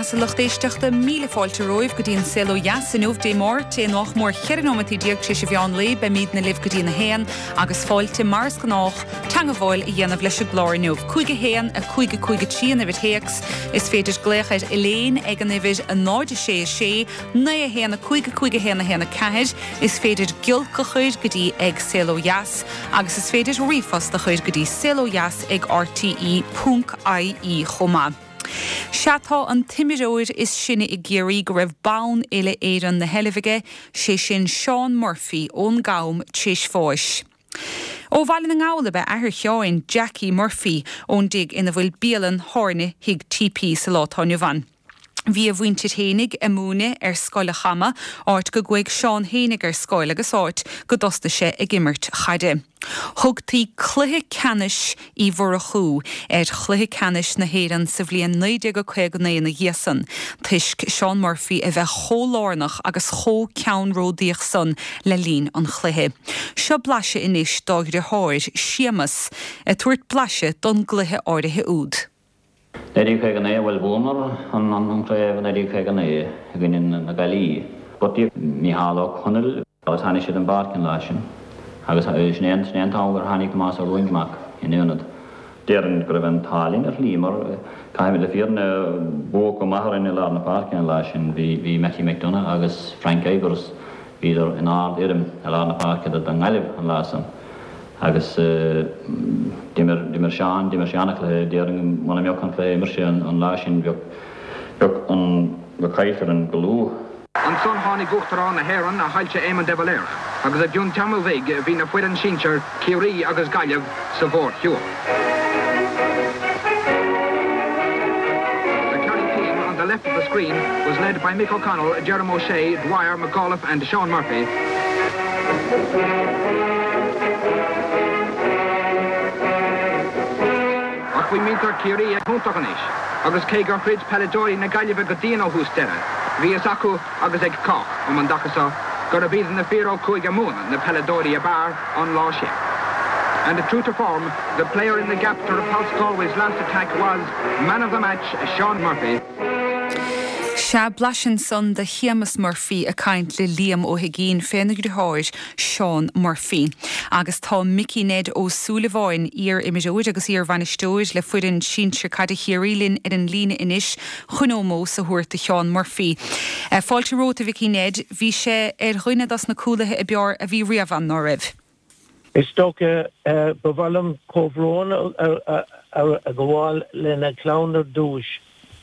Agus a lucht éisteachta, míle fáilte romhaibh go dtí an Saol Ó Dheas inniu, Dé Máirt, é nach mór 14 nóimeataí tar éis an mheán lae. Beimídne libh go dtí an 1 agus fáilte, mar is gnách, teangabháil a dhéanamh leis an gclár inniu. 5 1 5 5 3 an uimhir théacs. Is féidir glaoch ar Elaine ag an uimhir 0 6 6 9 1 5 5 1 1 4. Is féidir giolc a chur go dtí ag Saol Ó Dheas agus is féidir ríomhphost a chur go dtí saolodheas ag rte ponc ie chomh maith. Sea tá an t-imreoir is sine i gCiarraí go raibh bonn uile-Éireann 'na sheilbh aige, sé sin Seán Murphy ón gCam tréis bháis. Ó Bhaile na nGall ab ea athair Sheáin, Jackie Murphy, ón dtigh ina bhfuil bialann thábhairne Thigh TP sa lá atá inniu ann. Bhí a mhuintir fhéinig ag múineadh ar Scoil a' Chama, áit go gcuaigh Seán fhéinig ar scoil agus áit go dtosnaigh sé ag imirt chaide. Thugtaí Cluiche Ceannais Uí Mhurchú ar Chluiche Ceannais na hÉireann sa bhliain 1959 ina dhiaidh san, toisc Seán Murphy a bheith chomh lárnach agus chomh ceannródaíoch san le linn an chluiche. Seo blaiseadh anois dá dhriotháir, Séamas, ag tabhairt blaiseadh don gcluiche áirithe úd. 1959, bhuel bhuamar an chraobh i 1959 i gcoinne na Gaillimhe. Gortaíodh Mícheál Ó Conaill agus tháinig sé den bpáirc an lá sin agus sin é an t-am gur tháinig Tomás Ó Ruainc amach ina ionad. Déarfainn go raibh an t-ádh linn ar shlí mar caithfimid le fírinne buadh go maith orainn i lár na páirce an lá sin. Bhí Mattie McDonagh agus Frank Ivers, bhíodar in ard fhoirm i lár na páirce don nGaillimh an lá san. Agus d'imir, d'imir Seán, d'imir sé an-chluiche, déarfainn muna mbeadh an cluiche a imir sé an lá sin bheadh, bheadh an, bheadh caillte orainn go luath. Ansan tháinig Uachtarán na hÉireann, a Shoilse Éamon de Valera, agus i gcionn tamaill bhig bhí na foireann sinsir, Ciarraí agus Gaillimh, sa mhórshiúl. The Kerry team on the left of the screen was led by Mick O'Connell, Jerome O'Shea, Dwyer, McAuliffe and Sean Murphy. Ach bhí muintir Chiarraí ag iontach anois agus cé gur throid peileadóirí na Gaillimhe go dian ó thús deireadh, bhí fhios acu agus ag cách um an dtaca so gurb iad na fir ó Chúige Mumhan na peileadóirí ab fhearr an lá sin. And true to form, the player in the gap to repulse Galway's last attack was man of the match, Sean Murphy. Sea, blaiseadh ansan de Shéamus Murphy ag caint le Liam Ó hUigínn féna dhriotháir, Seán Murphy. Agus tá Mickey Ned Ó Súilleabháin, iar-imreoir agus iar-bhainisteoir le foireann sinsir caide Chiarraí linn ar an líne anois chun ómós a thabhairt do Sheán Murphy. Fáilte romhat a Mhicí Ned. Bhí sé ar dhuine dos na cúlaithe ab fhearr a bhí riamh ann, ná raibh? Is dócha, ba mhaith liom comhbhrón a ghabháil lena chlann ar dtúis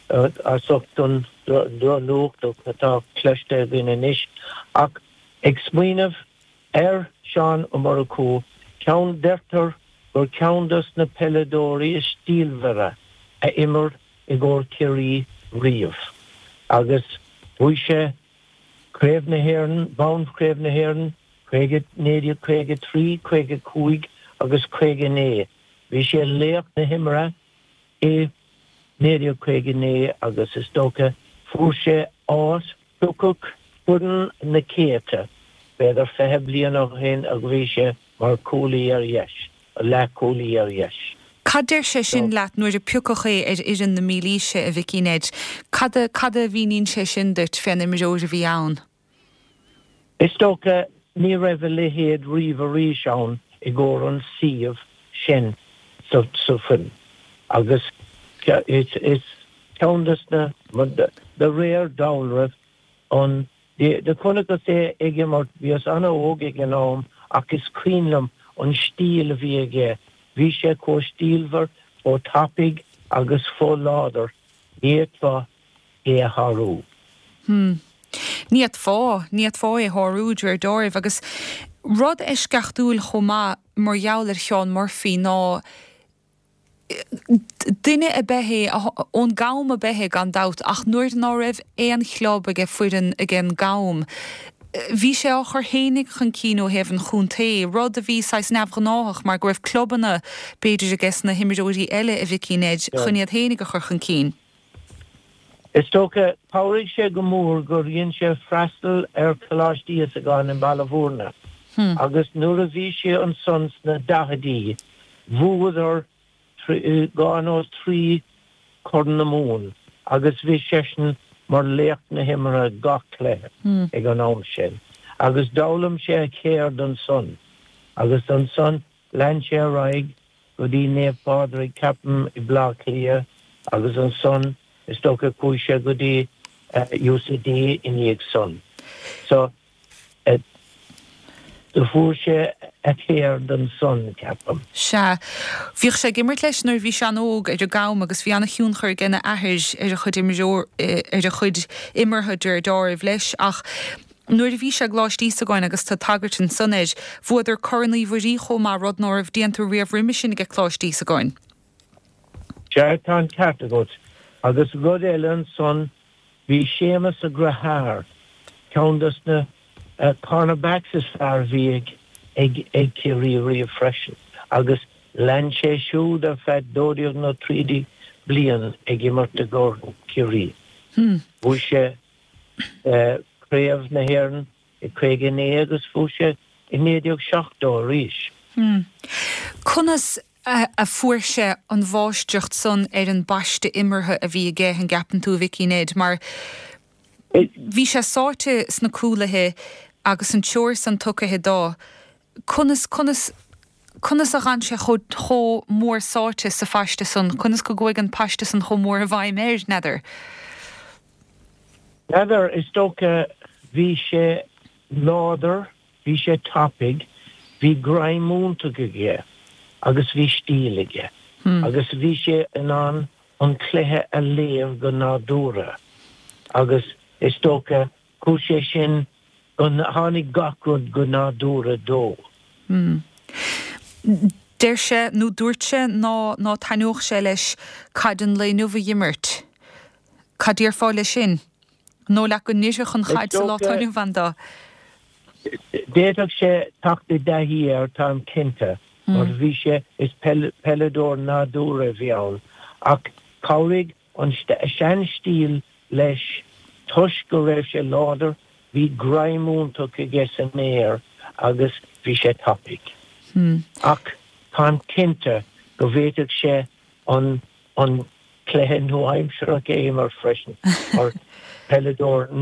as ucht an drochnuacht atá cloiste againn anois. Ach ag smaoineamh ar Sheán Ó Murchú, ceann, deirtear gur ceann dos na peileadóirí is stílmhaire a imir i gcomhair Chiarraí riamh agus bhuaigh sé Craobh na hÉireann, bonn Chraobh na hÉireann 1953, 55 agus 59. Bhí sé laoch na himeartha i 1959 agus is dócha fuair sé áit, piocadh foireann na céadta, b'fhéidir 20 bliain ó shin agus bhí sé mar chúlaí ar dheis, leathchúlaí ar dheis. Cad deir sé sin leat nuair a piocadh é ar fhoireann na mílaoise, a Mhicí Ned? Cad a, cad a mhíníonn sé sin duit fén imreoir a bhí ann? Is dócha ní raibh a leithéid riamh arís ann i gcomhair an suíomh sin sa foireann agus is ceann de na, de réir dealraimh, an Do chonaiceas é ag imirt, bhíos an-óg ag an am ach is cuimhin liom an stíl a bhí aige, bhí sé chomh stílmhar, chomh tapaidh agus chomh láidir, ní fhéadfá é a shárú. Hm. Ní fhéadfá, ní fhéadfá é a shárú, de réir deáraimh. Agus rud eisceachtúil chomh maith mar gheall ar Sheán Murphy ná, Duine ab ea é, ón gCam ab ea é gan dabht, ach nuair ná raibh aon chlub aige foireann ag an gCam, bhí sé á chur fhéinig chun cinn ó thaobh an chontae, rud a bhí saghas neamhghnáthach mar go raibh clubanna b'fhéidir aige na himreoirí eile a Mhicí Ned chun iad fhéinig a chur chun cinn. Is dócha, chabhraigh sé go mór gur dhein sé freastal ar Choláiste Íosagáin i mBaile Bhúirne agus nuair a bhí sé ansan sna daichidí, bhuadar dhá nó trí Chorn na Mumhan. agus bhí seisean mar laoch na himeartha gach cluiche ag an am sin agus d'fhoghlaim sé a cheird ansan agus ansan lean sé ar aghaidh go dtí Naomh Pádraig ceapaim i Bleá Cliath agus ansan is dócha chuaigh sé go dtí UCD i ndiaidh san. So do fuair sé a cheird ansan ceapaim. Sea. Bhíodh sé ag imirt leis nuair a bhí sé an-óg ar an gCam agus bhí an-thionchar aige na athair ar a chuid imreoir ar a chuid imeartha de réir deáraimh leis ach nuair a bhí sé i gColáiste Íosagáin agus tá tagairt ansan air, bhuadar Corn Uí Mhuirí chomh maith, rud ná raibh déanta riamh roimhe sin aige Coláiste Íosagáin. Sea, tá an ceart agat. Agus rud eile ansan, bhí Séamus a dheartháir, ceann dos na cornerbacks is fearr a bhí ag ag Ciarraí riamh freisin, agus lean sé siúd ar feadh 12 nó 13 bliain ag imirt i gcomhair Ciarraí. Bhuaigh sé Craobh na hÉireann i 59 agus bhuaigh sé i 1970 arís. Conas a fuair sé an mháistreacht san ar an bpaiste imeartha a bhí aige, an gceapann tú, a Mhicí Ned? Mar bhí sé sáite sna cúlaithe agus an treoir san tugtha dó. Conas, conas, conas a dh'fhan sé chomh, chomh mór sáite sa phaiste san? Conas go gcuaigh an paiste san chomh mór i bhfeidhm air, n'fheadar? N'fheadar, is dócha bhí sé láidir Bhí sé tapaidh, bhí greim iontach aige agus bhí stíl aige agus bhí sé in ann an cluiche a léamh go nádúrtha agus is dócha chuaigh sé sin go, tháinig gach rud go nádúrtha dó. Deir sé, nó dúirt sé, ná ná taitneodh sé leis caid an lae inniu a dh'imirt. Cad déarfá leis sin? An dóigh leat go n-oirfeadh an chaid sa lá atá inniu ann dó? D'fhéadfadh sé teacht i dtaithí air, táim cinnte, mar bhí sé, is peileadóir nádúrtha a bhí ann, ach chabhraigh an sean-stíl leis toisc go raibh sé láidir, bhí greim iontach aige san aer agus bhí sé tapaidh. Ach táim cinnte go bhféadfadh sé an an cluiche nua-aimseartha a imirt freisin mar peileadóir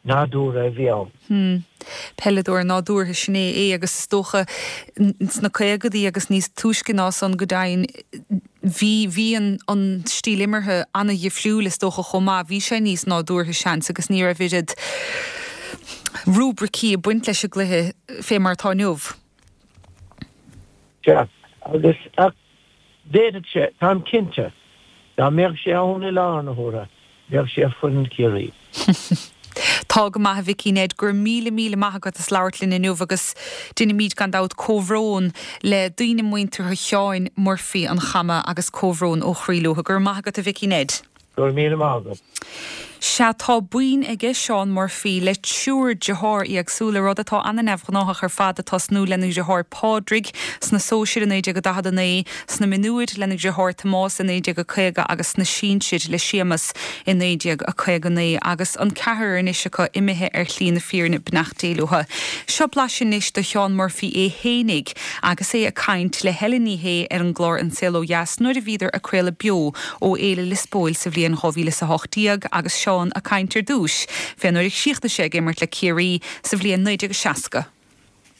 nádúrtha a bhí ann. Peileadóir nádúrtha, sin é é agus is dócha sna caogadaí agus níos túisce ná san go deimhin bhí bhí an an stíl imeartha an-dhifriúil is dócha chomh maith, bhí sé níos nádúrtha seans agus ní raibh oiread rúibricí ag baint leis an gcluiche fé mar atá inniu. Sea, agus ach D'fhéadfadh sé, táim cinnte, dá mbeadh sé ann i láthair na huaire, bheadh sé ar foireann Chiarraí. Tá go maith a Mhicí Ned, go raibh míle míle maith agat as labhairt linn inniu agus deinimíd gan dabht comhbhrón le daoine muinteartha Sheáin Murphy an Chama agus comhbhrón ó chroí leo. Go raibh maith agat a Mhicí Ned. Go raibh míle maith agat. Sea, tá boinn aige Seán Murphy le triúr dearthár éagsúla, rud atá ana-neamhghnáthach ar fad, ag tosnú lena dheartháir Pádraig sna sóisir i 1949, sna mionúir lena dheartháir Tomás i 1950 agus sna sinsir le Séamus i 1959, agus an ceathrar anois acu imithe ar shlí na fírinne, beannacht Dé leo. Seo blaiseadh anois de Sheán Murphy é fhéinig agus é ag caint le Helen Ní Shé ar an gclár An Saol Ó Dheas nuair a bhíodar ag craoladh beo ó Fhéile Liospóil sa bhliain 2018 agus Seán ag caint ar dtúis fé nuair a chríochnaigh sé ag imirt le Ciarraí sa bhliain 1960.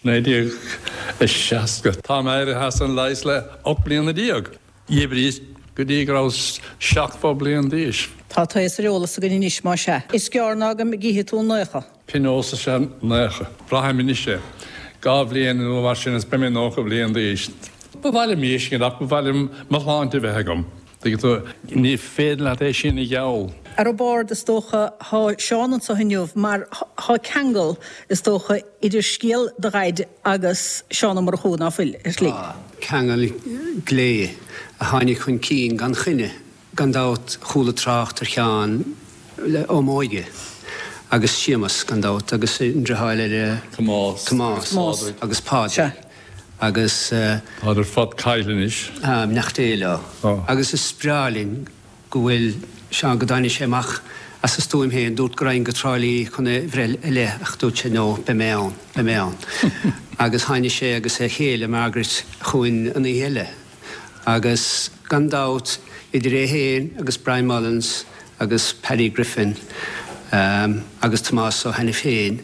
1960. Táim éirithe as an leigheas le 18 bliana. D'oibríos go dtí go rabhas 70 bliain d'aois. Tá taos ar eolas againn anois, más ea. Is gearr ná go gcífidh tú naocha. Pionós is ea naocha. Braithim anois é. Dá bhliain nó mar sin is beidh mé 90 bliain d'aois. Ba mhaith liom miiscint ach ba mhaith liom mo shláinte a bheith agam. Tuigeann tú, ní féidir leat é sin a gheall. Ar an bord, is dócha, thá Seán anso inniu mar thá ceangal, is dócha, idir scéal do dhaid agus Seán Ó Murchú, ná fuil, ar shlí? Tá. Ceangal glé a tháinig chun cinn gan choinne. Gan dabht chuala trácht ar Sheán ó m'óige, agus Séamus, gan dabht, agus an driotháir eile, Tomás, Tomás agus Pádraig, agus. Táid ar fad caillte anois. Tá, beannacht Dé leo. Agus is breá linn go bhfuil Seán, go dtáinig sé amach as a stuaim féin, dúirt go raghainn go Trá Lí chun é bhreith i leith ach dúirt sé no, beidh mé ann, beidh mé ann. Agus tháinig sé agus a chéile, Margaret, chugainn an oíche eile. Agus gan dabht, idir é féin agus Brian Mullins. agus Paddy Griffin agus Tomás Ó hAiniféin,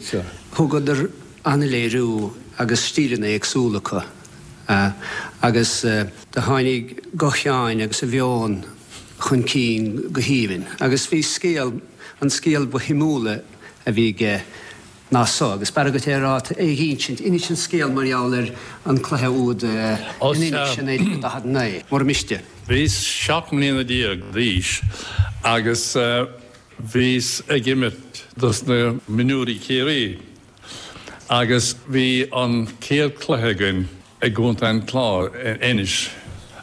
thugadar an-léiriú agus stíleanna éagsúla acu agus do tháinig guth Sheáin agus a mheon chun cinn go haoibhinn agus bhí scéal, an scéal ba shuimiúla a bhí aige ná so, agus b'fhearra duit é a rá, é a dh'insint, inis an scéal mar gheall ar an cluiche úd in Inis i 1949, mura miste. Bhíos 17 mbliana d'aois agus bhíos ag imirt dos na mionúirí Ciarraí agus bhí an chéad cluiche againn i gContae an Chláir, in Inis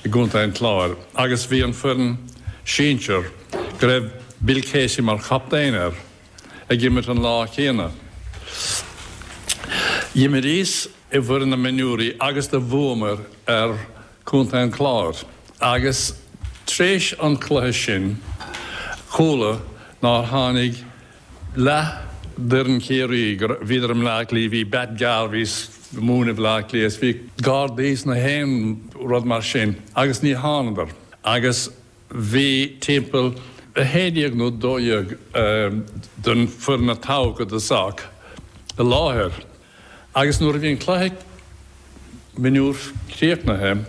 i gContae an Chláir agus bhí an foireann sinsir go raibh Bill Casey mar chaptaen air ag imirt an lá céanna. D'imríos i bhfoireann na mionúirí agus do bhuamair ar Chontae an Chláir agus tréis an chluiche sin chuala nár tháinig leath d'fhoireann Chiarraí, go bhíodar i mBleá Cliath, bhí Bat Garvey ag múineadh i mBleá Cliath is bhí Gardaí is na haon rud mar sin agus ní thánadar agus Bhí timpeall 11 nó 12 den foireann a toghadh i dtosach i láthair agus nuair a bhí an cluiche mionúr críochnaithe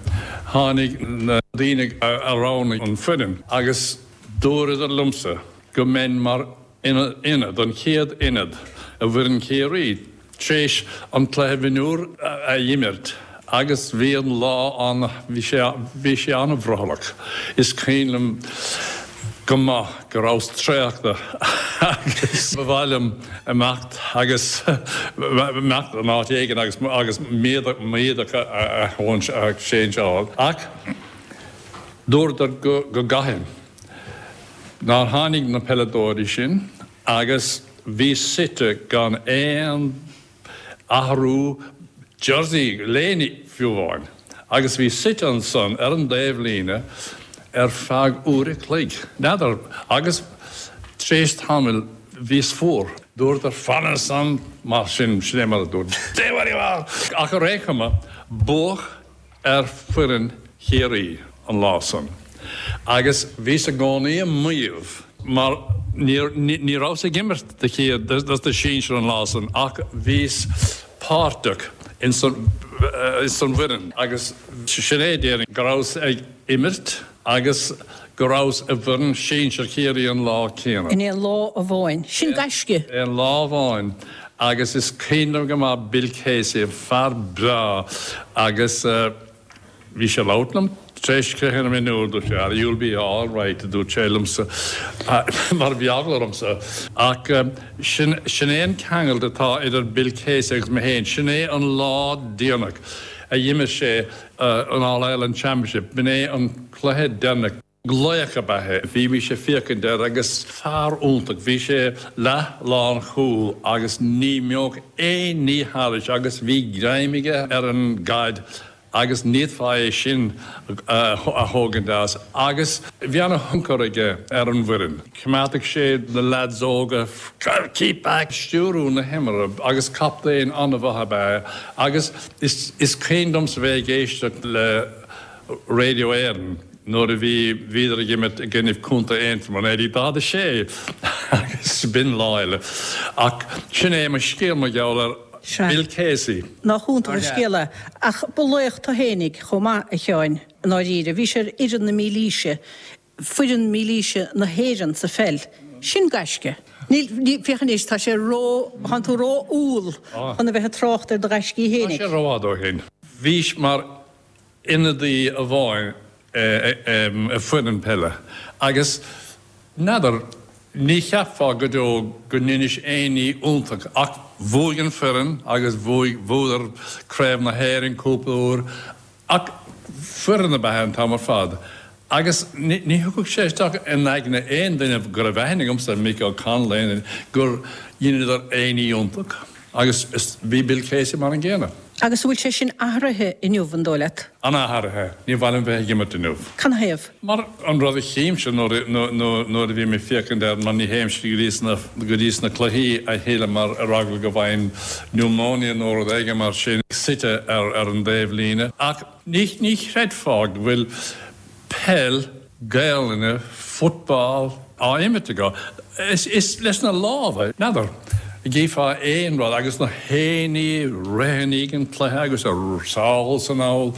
tháinig na daoine a roghnaigh an foireann agus dúradar liomsa go mbeinn mar ionad, an chéad ionad i bhfoireann Chiarraí tar éis an cluiche mionúr a imirt agus bhí an lá an, bhí sé, bhí sé an-bhrothallach. Is cuimhin liom go maith go rabhas traochta agus ba mhaith liom imeacht agus imeacht in áit éigin agus agus m'éadach a a changed-áil ach dúradar go go gcaithfinn. Nár tháinig na peileadóirí sin agus bhíos suite gan aon athrú jersey, léine fiú amháin, agus bhíos suite ansan ar an dtaobhlíne ar feadh uair a chloig, n'fheadar, agus tar éis tamaill bhíos fuar. Dúradar fan ansan mar sin, sin é mar a dúirt, Stay where you are! Ach ar aon chuma, buadh ar foireann Chiarraí an lá san agus bhíos i gcónaí ag maíomh mar ní rabhas ag imirt do chéad dos na sinsir an lá san ach bhíos páirteach ins an bhfoireann agus sin é déarfainn go rabhas ag imirt agus go rabhas i bhfoireann sinsir Chiarraí an lá céanna. In aon lá amháin. Sin gaisce! Aon lá amháin agus is cuimhin liom go maith Bill Casey, fear breá agus bhí sé ag labhairt liom tar éis cluiche na mionúr, dúirt sé, you'll be all right, a dúirt sé liomsa mar bhí eagla ormsa. Ach sin, sin é an ceangal atá idir Bill Casey agus mé féin, sin é an lá deireanach a d'imir sé an All Ireland Championship, b'in é an cluiche deireanach. Laoch ab ea é. Bhí mise ag féachaint air agus fear iontach. Bhí sé leath lán chúl agus ní mbeadh aon ní thairis agus bhí greim aige ar an gcaid agus ní fhéadfá é sin a thógaint as agus bhí ana-thionchar aige ar an bhfoireann. Choimeádfadh sé na leaids óga keep back! Stiúrú na himeartha agus captaen an-mhaith ab ea é agus is cuimhin liomsa bheith ag éisteacht le Radio Éireann nuair a bhí bhíodar ag imirt i gcoinnibh Contae Aontroma, 1946 agus b'in lá eile. Ach sin é mo scéal mar gheall ar Bill Casey. Nach iontach an scéal é. Ach ba laoch tú fhéinig chomh maith, a Sheáin, i ndáiríre. Bhís ar fhoireann na mílaoise foireann mílaoise na hÉireann sa pheil. Sin gaisce. Níl, ní, féach anois, tá sé ró, tánn tú ró-umhal chun a bheith ag trácht ar do ghaiscí fhéinig. Tá sé rófhada ó shin. Bhís mar ionadaí amháin i foireann peile agus n'fheadar, ní cheapfá go deo go ndeinis aon ní iontach ach bhuaigh an foireann agus bhuaigh, bhuadar Craobh na hÉireann cúpla uair Ach foireann ab ea an t-am ar fad agus ní thiocfadh sé isteach in aigne aon duine go raibh aithne agamsa ar Mick O'Connell aon duine gur dheineadar aon ní iontach agus bhí Bill Casey mar an gcéanna. Agus an bhfuil sé sin athraithe inniu, an dóigh leat? An-athraithe. Ní mhaith liom bheith ag imirt inniu. Canathaobh? Mar an rud a chímse nuair a bhím ag féachaint air, mar ní théimse go dtí sna, go dtí sna cluichí a thuilleadh mar ar eagla go bhfaighinn pneumonia nó rud éigin mar sin, suite ar ar an dtaobhlíne. Ach ní, ní chreidfeá go bhfuil peil, Gaelainne, football. á imirt acu. Is leis na lámha, n'fheadar, gcífeá aon rud agus na héinní ag rith i ndiaidh an cluiche agus sall is anall.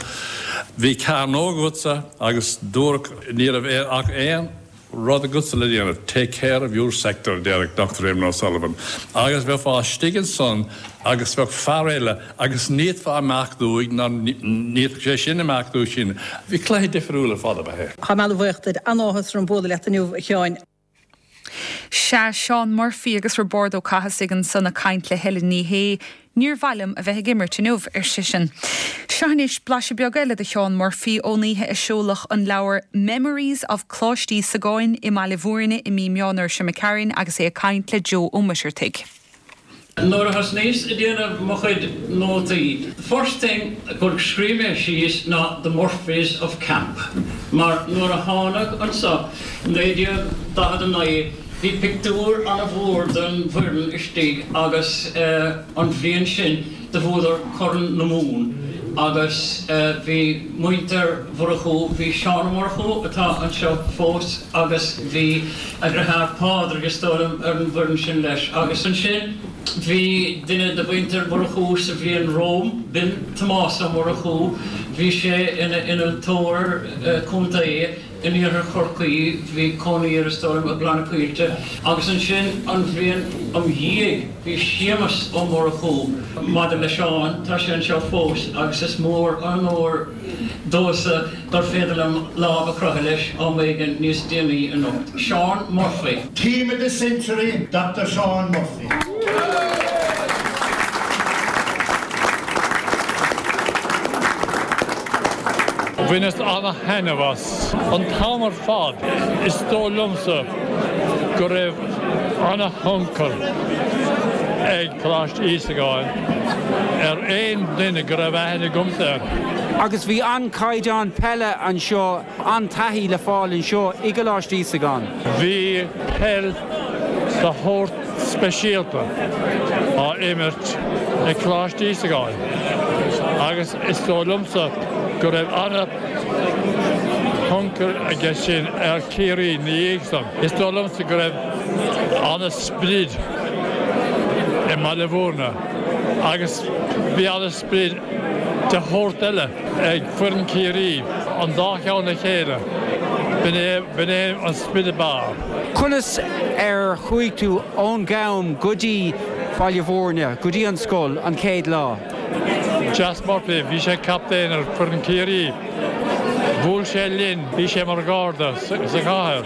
Bhí cearnóg agatsa agus dúradh ní raibh ach aon rud agatsa le déanamh, take care of your sector, a déarfadh Doctor Eamon O'Sullivan. Agus bheifeá istigh ansan agus bheadh fear eile agus ní fhéadfá imeacht uaidh ná ní fhéadfadh sé sin imeacht uaidh sin. Bhí cluiche difriúil ar fad ab ea é. Tá mé an-bhuíoch duit. An-áthas orm bualadh leat inniu, a Sheáin. Sea, Seán Murphy agus Roibeárd Ó Cathasaigh ansan ag caint le Helen Ní Shé. Níor mhaith liom a bheith ag imirt inniu, ar seisean. Seo anois blaiseadh beag eile de Sheán Murphy ón oíche a seoladh an leabhar Memories of Coláiste Íosagáin i mBaile Bhúirne i mí Meán Fhómhair seo imigh tharainn agus é ag caint le Joe Ó Muircheartaigh. Nuair a thosnaíos ag déanamh mo chuid nótaí, the first thing gur scríobh mé síos ná The Murphys of Camp, mar nuair a thánag anso 1949 bhí pictiúr ana-mhór den bhfoireann istigh agus an bhliain sin do bhuadar Corn na Mumhan agus bhí muintir Mhurchú, bhí Seán Ó Murchú atá anseo fós agus bhí a dhriotháir Pádraig is dóigh liom ar an bhfoireann sin leis agus ansin bhí duine de mhuintir Mhurchú sa bhliain romham, b'in Tomás Ó Murchú, bhí sé ina innealtóir contae in iarthar Chorcaí, bhí cónaí air is dóigh liom i gCloich na Coillte agus ansin an bhliain im dhiaidh bhí Séamus Ó Murchú. Maidir le Seán, tá sé anseo fós agus is mór an onóir domhsa gur féidir liom lámh a chroitheadh leis am éigin níos déanaí anocht. Seán Murphy. Team of the Century, Doctor Seán Murphy. Bhaineas ana-thaitneamh as an t-am ar fad. Is dóigh liomsa go raibh ana-thionchar ag Coláiste Íosagáin ar aon duine go raibh aithne agamsa air. Agus bhí an-chaighdeán peile anseo, an-taithí le fáil anseo i gColáiste Íosagáin. Bhí peil de shórt speisialta á imirt ag Coláiste Íosagáin agus is dóigh liomsa go raibh ana-thionchar aige sin ar Chiarraí ina dhiaidh san. Is dóigh liomsa go raibh ana-sprid i mBaile Bhúirne agus bhí ana-sprid de shórt eile ag foireann Chiarraí, an dá cheann le chéile, b'in é, b'in é an sprid ab fhearr. Conas ar chuaigh tú ón gCam go dtí Baile Bhúirne, go dtí an scoil, an chéad lá? Jas Murphy, bhí sé captaen ar foireann Chiarraí. Bhuail sé linn, bhí sé mar gharda sa chathair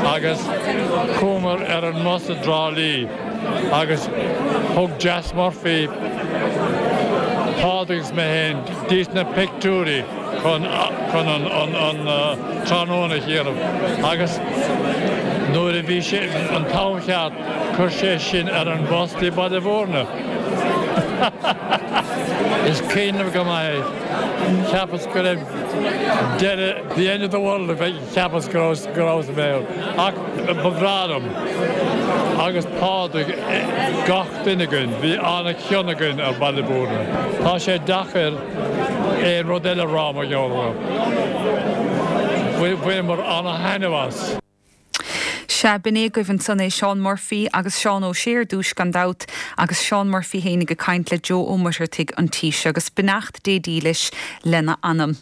agus chuamar ar an mbus i dTrá Lí agus thug Jas Murphy, Pádraig agus mé féin dtís na pictiúirí chun chun an an tráthnóna a dhéanamh agus nuair a bhí sé an t-am cheart chuir sé sinn ar an bhus dtí Baile Bhúirne. Is cuimhin liom go maith é. Cheapas go raibh deireadh, the end of the world, cheapas go raibh go rabhas i mbéal. Ach ba bhreá liom agus Pádraig, gach duine againn, bhí an-chion againn ar Bhaile Bhúirne. Tá sé deacair aon rud eile a rá mar gheall orthu. Bhaineamar an-thaitneamh as. Sea, b'in é agaibh ansan é Seán Murphy agus Seán Ó Sé ar dtúis gan dabht agus Seán Murphy fhéinig ag caint le Joe Ó Muircheartaigh an tí seo agus beannacht Dé dílis lena anam.